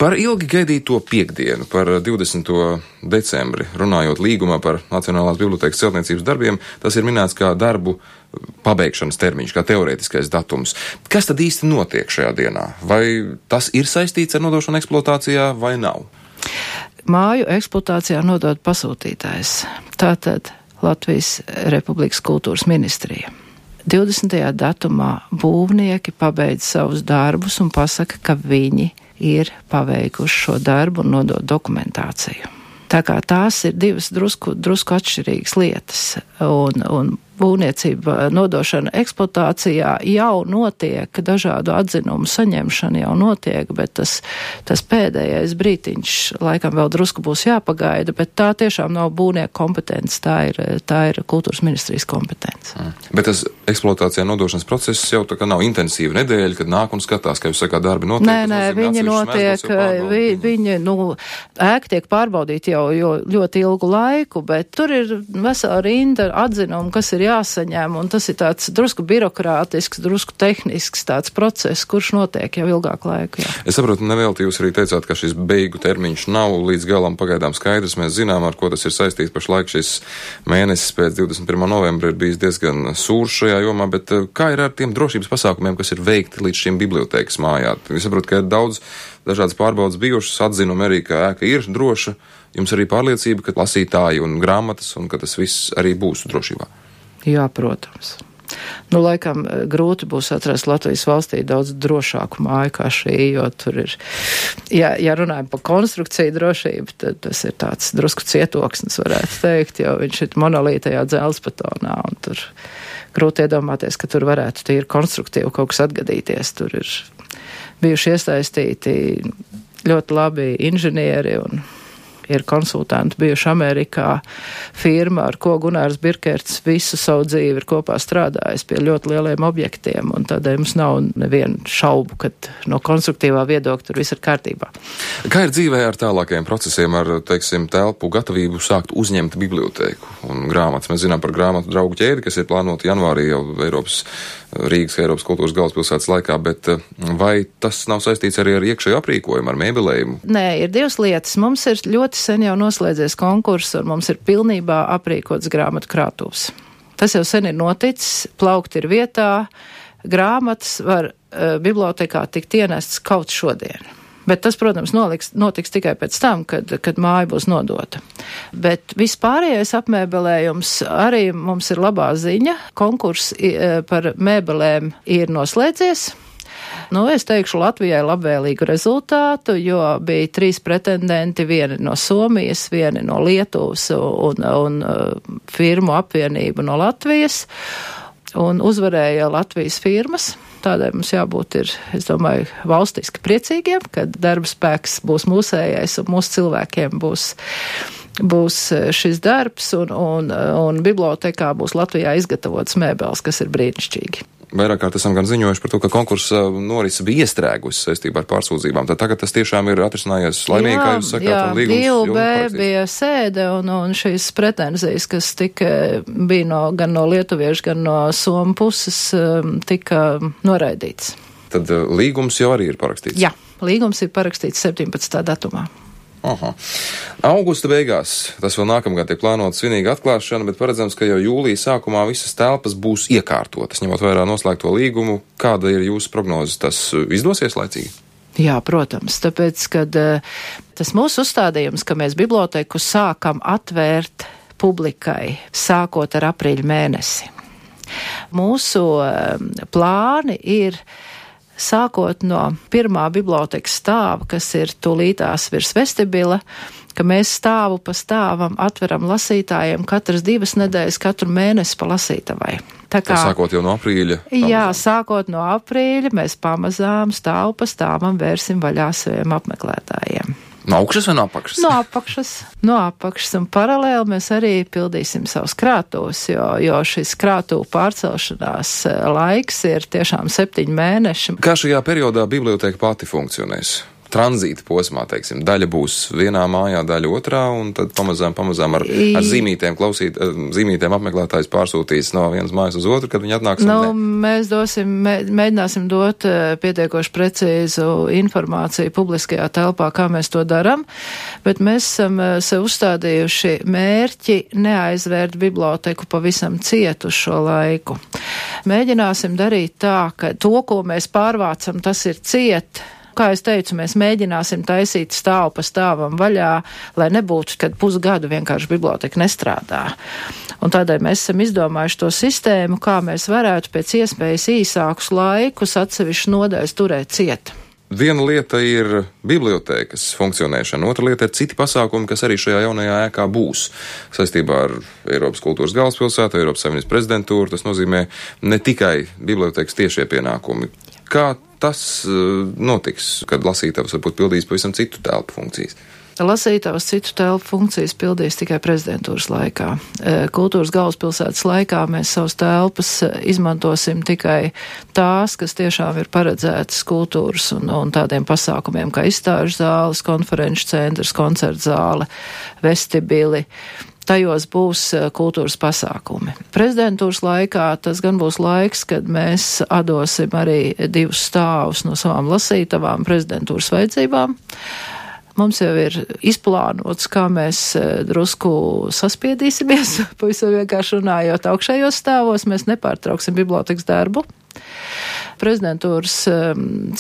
Par ilgi gaidīto piekdienu, par 20. decembri, runājot līgumā par Nacionālās bibliotēkas celtniecības darbiem, tas ir minēts kā darbu pabeigšanas termiņš, kā teorētiskais datums. Kas tad īsti notiek šajā dienā? Vai tas ir saistīts ar nodošanu eksploatācijā vai nav? Māju eksploatācijā nodod pasūtītājs. Tātad Latvijas Republikas kultūras ministrija. 20. datumā būvnieki pabeidz savus darbus un pasaka, ka viņi ir paveikuši šo darbu un nodod dokumentāciju. Tā kā tās ir divas drusku atšķirīgas lietas, un būvniecība nodošana eksploatācijā jau notiek, dažādu atzinumu saņemšana jau notiek, bet tas pēdējais brītiņš laikam vēl drusku būs jāpagaida, bet tā tiešām nav būvnieku kompetence, tā ir kultūras ministrijas kompetence. Bet tas eksploatācijā nodošanas process jau tā kā nav intensīva nedēļa, kad nāk un skatās, kā jūs sakāt, darbi notiek? Nē, viņi notiek, ēka tiek pārbaudīta jau ļoti ilgu laiku, bet tur ir vesela rinda atzinumu, kas ir jāsaņem, un tas ir tāds drusku birokrātisks, drusku tehnisks tāds process, kurš notiek jau ilgāku laiku. Jā. Es saprotu, nevelti jūs arī teicāt, ka šis beigu termiņš nav līdz galam pagaidām skaidrs. Mēs zinām, ar ko tas ir saistīts. Pašlaik šis mēnesis pēc 21. novembra ir bijis diezgan sūrs šajā jomā, bet kā ir ar tiem drošības pasākumiem, kas ir veikti līdz šim bibliotēkas mājā? Es saprotu, ka ir daudz dažādas pārbaudas bijušas, atzinumi arī, ka ēka ir droša. Jums arī pārliecība, ka lasītāji un grāmatas un ka tas viss arī būs drošībā? Jā, protams. Laikam grūti būs atrast Latvijas valstī daudz drošāku māju kā šī, jo tur ir, ja runājam par konstrukciju drošību, tad tas ir tāds drusku cietoksnis, varētu teikt, jo viņš ir monolītajā dzelzbetonā, un tur grūti iedomāties, ka tur varētu tīri konstruktīvi kaut kas atgadīties. Tur ir bijuši iesaistīti ļoti labi inženieri un ir konsultanti bijuši Amerikā, firma, ar ko Gunārs Birkerts visu savu dzīvi ir kopā strādājis pie ļoti lieliem objektiem, un tādēļ mums nav nevienu šaubu, ka no konstruktīvā viedokļa tur viss ir kārtībā. Kā ir dzīvē ar tālākajiem procesiem, ar, teiksim, telpu gatavību sākt uzņemt bibliotēku un grāmatas? Mēs zinām par grāmatu draugu ķēdi, kas ir plānota janvārī jau Rīgas kultūras galvaspilsētas laikā, bet vai tas nav saistīts arī ar iekšējo aprīkojumu, ar mēbelējumu? Nē, ir divas lietas. Mums ir ļoti sen jau noslēdzies konkurss, un mums ir pilnībā aprīkots grāmatu krātuvs. Tas jau sen ir noticis, plaukti ir vietā, grāmatas var bibliotekā tikt ienests kaut šodien. Bet tas, protams, notiks tikai pēc tam, kad māja būs nodota. Bet vispārējais apmēbelējums arī mums ir labā ziņa. Konkurss par mēbelēm ir noslēdzies. Es teikšu Latvijai labvēlīgu rezultātu, jo bija 3 pretendenti, vieni no Somijas, vieni no Lietuvas un firmu apvienība no Latvijas. Un uzvarēja Latvijas firmas. Tādēļ mums jābūt es domāju, valstiski priecīgiem, kad darba spēks būs mūsējais un mūsu cilvēkiem būs šis darbs un bibliotekā būs Latvijā izgatavotas mēbeles, kas ir brīnišķīgi. Vairāk kārt esam gan ziņojuši par to, ka konkursa norisa bija iestrēgusi saistībā ar pārsūdzībām. Tad tagad tas tiešām ir atrisinājies laimīgi, kā jūs sakāt, un līgums DUB bija sēde un šīs pretenzijas, kas bija gan no lietuviešu, gan no somu puses, tika noraidīts. Tad līgums jau arī ir parakstīts? Jā, līgums ir parakstīts 17. datumā. Aha. Augusta beigās, tas vēl nākamgad tiek plānota svinīga atklāšana, bet paredzams, ka jau jūlija sākumā visas telpas būs iekārtotas, ņemot vērā noslēgto līgumu. Kāda ir jūsu prognozes? Tas izdosies laicīgi? Jā, protams, tāpēc, kad tas mūsu uzstādījums, ka mēs biblioteku sākam atvērt publikai, sākot ar aprīļa mēnesi. Mūsu plāni ir sākot no pirmā bibliotekas stāva, kas ir tūlītās virs vestibila, ka mēs stāvu pa stāvam atveram lasītājiem katras 2 nedēļas, katru mēnesi pa lasītavai. Sākot jau no aprīļa? Jā, sākot no aprīļa mēs pamazām stāvu pa stāvam vērsim vaļā saviem apmeklētājiem. No augšas vai no apakšas? No apakšas, un paralēli mēs arī pildīsim savus krātuvus, jo šis krātuvu pārcelšanās laiks ir tiešām 7 mēneši. Kā šajā periodā biblioteka pati funkcionēs? tranzīta posmā, teiksim, daļa būs vienā mājā, daļa otrā, un tad pamazām ar zīmītēm apmeklētājs pārsūtīs no vienas mājas uz otru, kad viņi atnāks. Mēs mēģināsim dot pietiekoši precīzu informāciju publiskajā telpā, kā mēs to daram, bet mēs esam sev uzstādījuši mērķi neaizvērt biblioteku pavisam cietu uz šo laiku. Mēģināsim darīt tā, ka to, ko mēs pārvācam, tas ir ciet. Kā es teicu, mēs mēģināsim taisīt stāvu pa stāvam vaļā, lai nebūtu, kad pusgadu vienkārši biblioteka nestrādā. Un tādēļ mēs esam izdomājuši to sistēmu, kā mēs varētu pēc iespējas īsākus laikus atsevišķu nodaļas turēt ciet. Viena lieta ir bibliotēkas funkcionēšana, otra lieta ir citi pasākumi, kas arī šajā jaunajā ēkā būs saistībā ar Eiropas kultūras galvaspilsētu, Eiropas Savienības prezidentūru. Tas nozīmē ne tikai bibliotēkas tiešie pienākumi. Kā tas notiks, kad lasītājs varbūt pildīs pavisam citu telpu funkcijas? Lasītājs citu telpu funkcijas pildīs tikai prezidentūras laikā. Kultūras galvaspilsētas laikā mēs savus telpas izmantosim tikai tās, kas tiešām ir paredzētas kultūras un tādiem pasākumiem kā izstāžu zāles, konferenču centrs, koncertu zāle, vestibili. Tajos būs kultūras pasākumi. Prezidentūras laikā tas gan būs laiks, kad mēs atdosim arī 2 stāvus no savām lasītavām prezidentūras vajadzībām. Mums jau ir izplānots, kā mēs drusku saspiedīsimies, pavisam vienkārši runājot augšējos stāvos, mēs nepārtrauksim bibliotekas darbu. Prezidentūras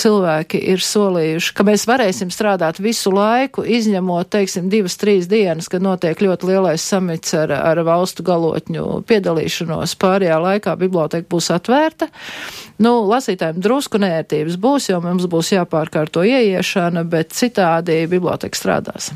cilvēki ir solījuši, ka mēs varēsim strādāt visu laiku, izņemot, teiksim, 2-3 dienas, kad notiek ļoti lielais samits ar valstu galotņu piedalīšanos. Pārējā laikā biblioteka būs atvērta. Lasītājiem drusku neērtības būs, jo mums būs jāpārkārto ieiešana, bet citādi biblioteka strādās.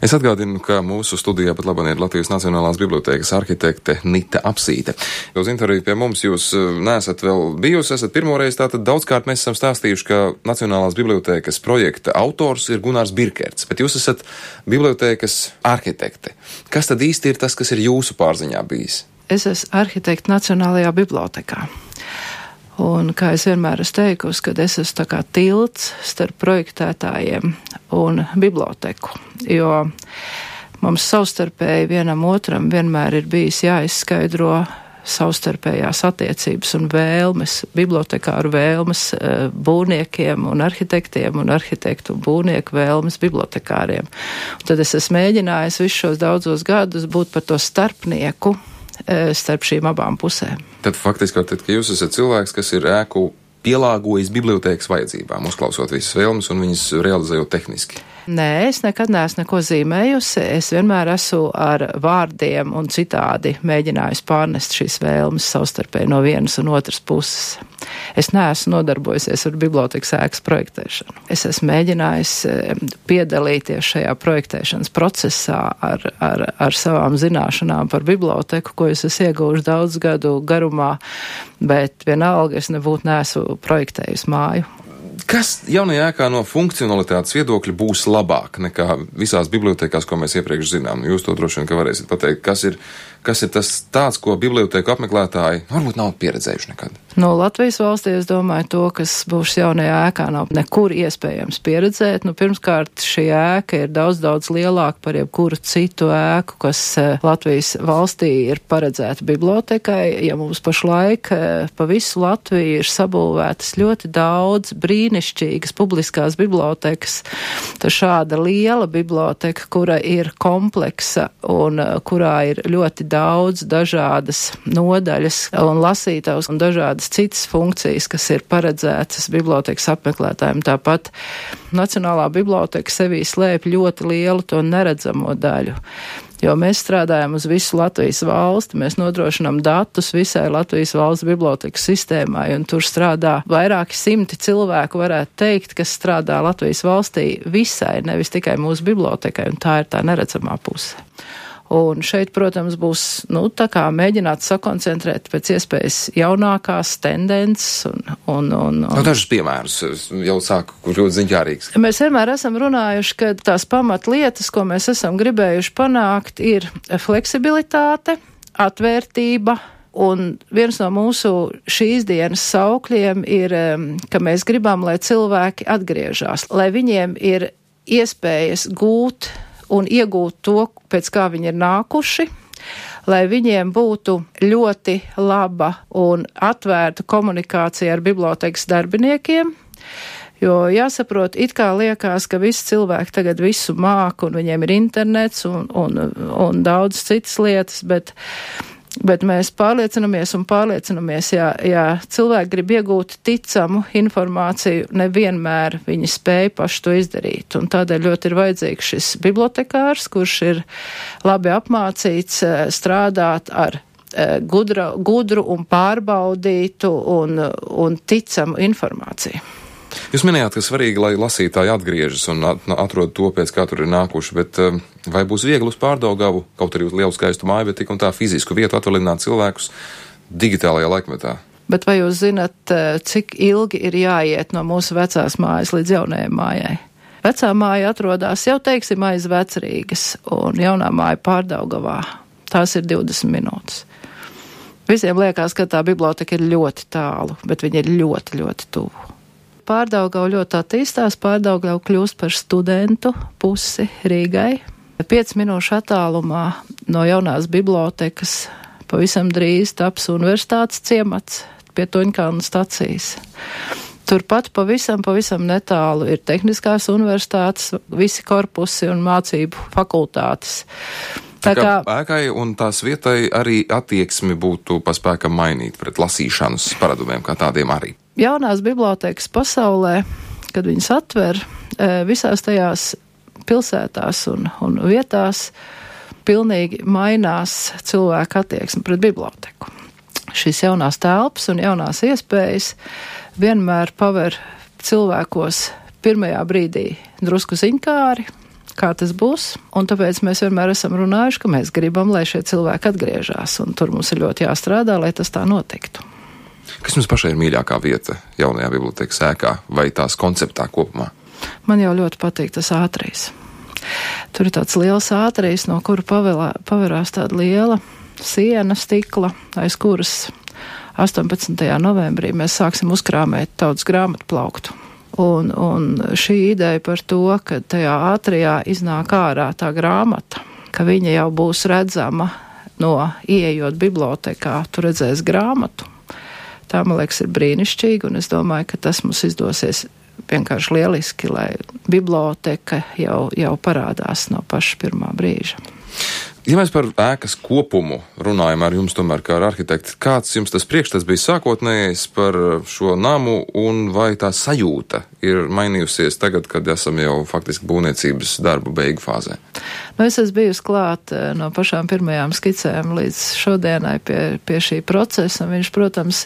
Es atgādinu, ka mūsu studijā pat labāk ir Latvijas Nacionālās bibliotēkas arhitekte Nita Apsīte. Uz interviju pie mums jūs neesat vēl bijusi, esat pirmoreiz, tātad daudzkārt mēs esam stāstījuši, ka Nacionālās bibliotēkas projekta autors ir Gunārs Birkerts, bet jūs esat bibliotēkas arhitekte. Kas tad īsti ir tas, kas ir jūsu pārziņā bijis? Es esmu arhitekte Nacionālajā bibliotekā. Un, kā es vienmēr esmu teikusi, kad es esmu tā kā tilts starp projektētājiem un biblioteku, jo mums savstarpēji vienam otram vienmēr ir bijis jāizskaidro savstarpējās attiecības un vēlmes, bibliotekāru vēlmes būvniekiem un arhitektiem un arhitektu un būvnieku vēlmes bibliotekāriem. Un tad es esmu mēģinājis visus šos daudzos gadus būt par to starpnieku starp šīm abām pusēm. Tad faktiski, ka jūs esat cilvēks, kas ir ēku pielāgojis bibliotēkas vajadzībām, uzklausot visas vēlmes un viņas realizējot tehniski. Nē, es nekad neesmu neko zīmējusi. Es vienmēr esmu ar vārdiem un citādi mēģinājusi pārnest šīs vēlmes savstarpēji no vienas un otras puses. Es neesmu nodarbojusies ar bibliotekas ēkas projektēšanu. Es esmu mēģinājis piedalīties šajā projektēšanas procesā ar savām zināšanām par biblioteku, ko es esmu ieguvuši daudz gadu garumā, bet vienalga es neesmu projektējusi māju. Kas jaunajā ēkā no funkcionalitātes viedokļa būs labāk nekā visās bibliotekās, ko mēs iepriekš zinām? Jūs to droši vien, ka varēsiet pateikt. Kas ir tas tāds, ko biblioteku apmeklētāji varbūt nav pieredzējuši nekad? Latvijas valstī, es domāju, to, kas būs jaunajā ēkā, nav nekur iespējams pieredzēt. Pirmkārt, šī ēka ir daudz lielāka par jebkuru citu ēku, kas Latvijas valstī ir paredzēta bibliotekai. Ja mums pašlaik pa visu Latviju ir sabūvētas ļoti daudz brīnišķīgas publiskās bibliotekas, tad šāda liela biblioteka, kura ir kompleksa un kurā ir ļoti daudz dažādas nodaļas un lasītājus un dažādas citas funkcijas, kas ir paredzētas bibliotekas apmeklētājiem. Tāpat Nacionālā biblioteka sevī slēp ļoti lielu to neredzamo daļu. Jo mēs strādājam uz visu Latvijas valsti, mēs nodrošinām datus visai Latvijas valsts bibliotekas sistēmai, un tur strādā vairāki 100 cilvēku, varētu teikt, kas strādā Latvijas valstī visai, nevis tikai mūsu bibliotekai, un tā ir tā neredzamā puse. Un šeit, protams, būs, tā kā mēģināt sakoncentrēt pēc iespējas jaunākās tendences un dažus piemērus jau sāku, kur ļoti ziņkārīgs. Mēs vienmēr esam runājuši, ka tās pamatlietas, ko mēs esam gribējuši panākt, ir fleksibilitāte, atvērtība, Un viens no mūsu šīs dienas saukļiem ir, ka mēs gribam, lai cilvēki atgriežas, lai viņiem ir iespējas gūt un iegūt to, pēc kā viņi ir nākuši, lai viņiem būtu ļoti laba un atvērta komunikācija ar bibliotekas darbiniekiem, jo jāsaprot, it kā liekas, ka visi cilvēki tagad visu māk un viņiem ir internets un daudz citas lietas, bet mēs pārliecinamies, ja cilvēki grib iegūt ticamu informāciju, nevienmēr viņi spēj paši to izdarīt. Un tādēļ ļoti ir vajadzīgs šis bibliotekārs, kurš ir labi apmācīts strādāt ar gudru un pārbaudītu un ticamu informāciju. Jūs minējāt, ka svarīgi, lai lasītāji atgriežas un atrod to, pēc kā tur ir nākuši, bet vai būs viegli uz Pārdaugavu, kaut arī uz lielu skaistu māju, bet tik un tā fizisku vietu atvaļināt cilvēkus digitālajā laikmetā? Bet vai jūs zinat, cik ilgi ir jāiet no mūsu vecās mājas līdz jaunajai mājai? Vecā māja atrodas jau, teiksim, aiz Vecrīgas un jaunā māja Pārdaugavā. Tās ir 20 minūtes. Visiem liekas, ka tā biblioteka ir ļoti tālu, bet viņa ir ļoti, ļoti tuvu. Pārdaugava ļoti attīstās, Pārdaugava kļūst par studentu pusi Rīgai. 5 minūšu attālumā no jaunās bibliotekas pavisam drīz taps universitātes ciemats pie Toņkalna stacijas. Turpat pavisam netālu ir tehniskās universitātes, visi korpusi un mācību fakultātes. Tā kā ēkai un tās vietai arī attieksmi būtu paspēkam mainīt pret lasīšanas paradumiem kā tādiem arī. Jaunās bibliotekas pasaulē, kad viņas atver, visās tajās pilsētās un vietās pilnīgi mainās cilvēka attieksme pret biblioteku. Šīs jaunās telpas un jaunās iespējas vienmēr paver cilvēkos pirmajā brīdī drusku ziņkāri, kā tas būs, un tāpēc mēs vienmēr esam runājuši, ka mēs gribam, lai šie cilvēki atgriežas, un tur mums ir ļoti jāstrādā, lai tas tā notiktu. Kas jums pašai ir mīļākā vieta jaunajā bibliotekas ēkā vai tās konceptā kopumā? Man jau ļoti patīk tas ātrīs. Tur ir tāds liels ātrīs, no kura paverās tāda liela siena stikla, aiz kuras 18. novembrī mēs sāksim uzkrāmēt tautas grāmatu plauktu. Un šī ideja par to, ka tajā ātrijā iznāk ārā tā grāmata, ka viņa jau būs redzama no ieejot bibliotekā, tu redzēs grāmatu. Tā, man liekas, ir brīnišķīgi, un es domāju, ka tas mums izdosies vienkārši lieliski, lai biblioteka jau parādās no paša pirmā brīža. Ja mēs par ēkas kopumu runājam ar jums tomēr kā ar arhitekti, kāds jums tas priekšstats bija sākotnējais par šo namu un vai tā sajūta ir mainījusies tagad, kad esam jau faktiski būvniecības darbu beigu fāzē? Es esmu bijusi klāt no pašām pirmajām skicēm līdz šodienai pie šī procesa. Viņš, protams,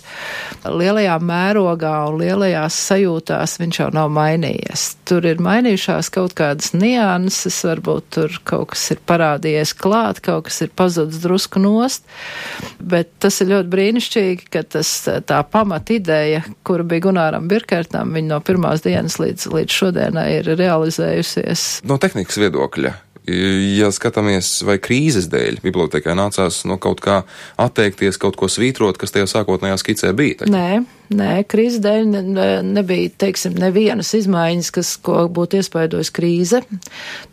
lielajā mērogā un lielajās sajūtās viņš jau nav mainījies. Tur ir mainījušās kaut kādas nianses, varbūt tur kaut kas ir parādījies klāt, kaut kas ir pazudis drusku nost, bet tas ir ļoti brīnišķīgi, ka tā pamat ideja, kura bija Gunāram Birkertam, viņa no pirmās dienas līdz šodienai ir realizējusies. No tehnikas viedokļa, ja skatāmies, vai krīzes dēļ bibliotekai nācās no kaut kā atteikties, kaut ko svītrot, kas tajā sākotnējā skicē bija? Nē, krīzes dēļ nebija, teiksim, nevienas izmaiņas, ko būtu iespaidojis krīze.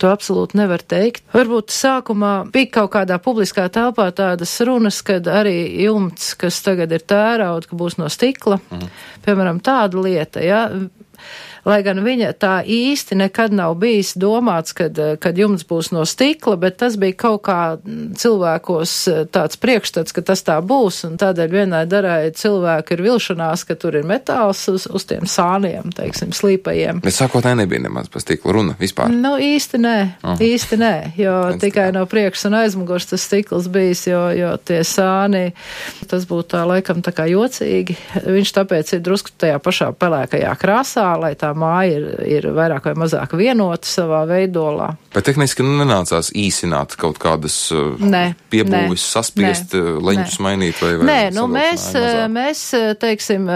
To absolūti nevar teikt. Varbūt sākumā bija kaut kādā publiskā telpā tādas runas, kad arī jumts, kas tagad ir tērauda, ka būs no stikla. Piemēram, tāda lieta, ja. Lai gan viņa tā īsti nekad nav bijis domāts, kad jumts būs no stikla, bet tas bija kaut kā cilvēkos tāds priekšstats, ka tas tā būs, un tādēļ vienai darai cilvēku ir vilšanās, ka tur ir metāls uz tiem sāniem, teiksim, slīpajiem. Bet sākotnēji nebija nemaz par stikla runa vispār? Īsti nē, jo tikai no priekšas un aizmugurs tas stikls bijis, jo tie sāni, tas būtu tā laikam tā kā jocīgi. Viņš tāpēc ir drusku tajā pašā pelēkajā krāsā, lai tā māja ir vairāk vai mazāk vienota savā veidolā. Bet tehniski nenācās īsināt kaut kādas piebūves, saspiest, leņķus mainīt vai mēs, teiksim,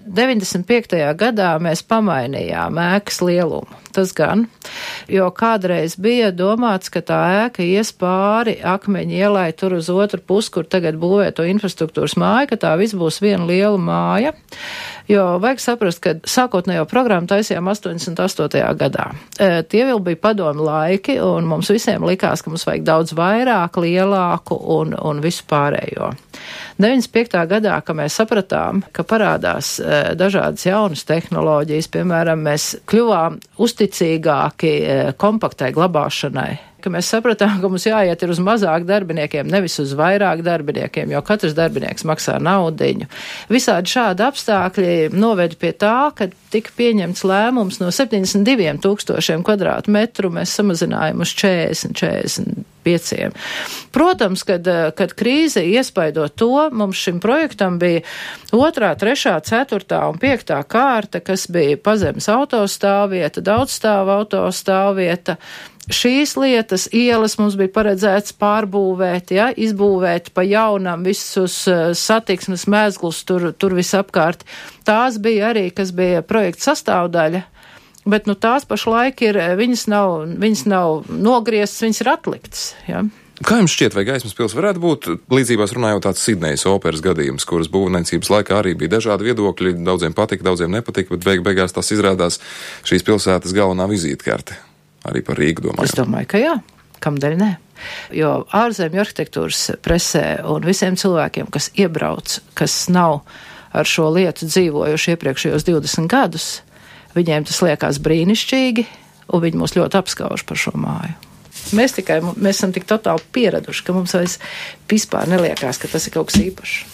95. gadā mēs pamainījām ēkas lielumu. Tas gan, jo kādreiz bija domāts, ka tā ēka ies pāri Akmeņu ielai tur uz otru pusi, kur tagad būvē to infrastruktūras māju, ka tā viss būs viena liela māja. Jo vajag saprast, ka sākotnējo programmu taisījām 88. gadā. Tie vēl bija padomu laiki, un mums visiem likās, ka mums vajag daudz vairāk, lielāku un visu pārējo. 95. gadā, kad mēs sapratām, ka parādās dažādas jaunas tehnoloģijas, piemēram, mēs kļuvām uzticīgāki kompaktai glabāšanai, ka mēs sapratām, ka mums jāiet uz mazāk darbiniekiem, nevis uz vairāk darbiniekiem, jo katrs darbinieks maksā naudiņu. Visādi šādi apstākļi noveda pie tā, ka tika pieņemts lēmums no 72,000 kvadrātmetru mēs samazinājām uz 40-45. Protams, kad krīze iespaido to, mums šim projektam bija 2., 3., 4. un 5. kārta, kas bija pazemes autostāvvieta, daudzstāvu autostāvvieta. Šīs lietas, ielas mums bija paredzēts pārbūvēt, ja, izbūvēt pa jaunam visus satiksmes mezglus tur visapkārt. Tās bija arī, kas bija projekta sastāvdaļa, bet tās pašlaik ir, viņas nav nogrieztas, viņas ir atliktas, ja. Kā jums šķiet, vai Gaismas pils varētu būt līdzībās runājot tāds Sidnejas operas gadījums, kuras būvniecības laikā arī bija dažādi viedokļi, daudziem patika, daudziem nepatika, bet beigās tas izrādās šīs pilsētas galvenā vizītkarte? Arī par Rīgu domāju. Es domāju, ka jā. Kamdēļ ne? Jo ārzemju arhitektūras presē un visiem cilvēkiem, kas iebrauc, kas nav ar šo lietu dzīvojuši iepriekšējos 20 gadus, viņiem tas liekas brīnišķīgi, un viņi mūs ļoti apskauž par šo māju. Mēs esam tik totāli pieraduši, ka mums vairs vispār neliekās, ka tas ir kaut kas īpašs.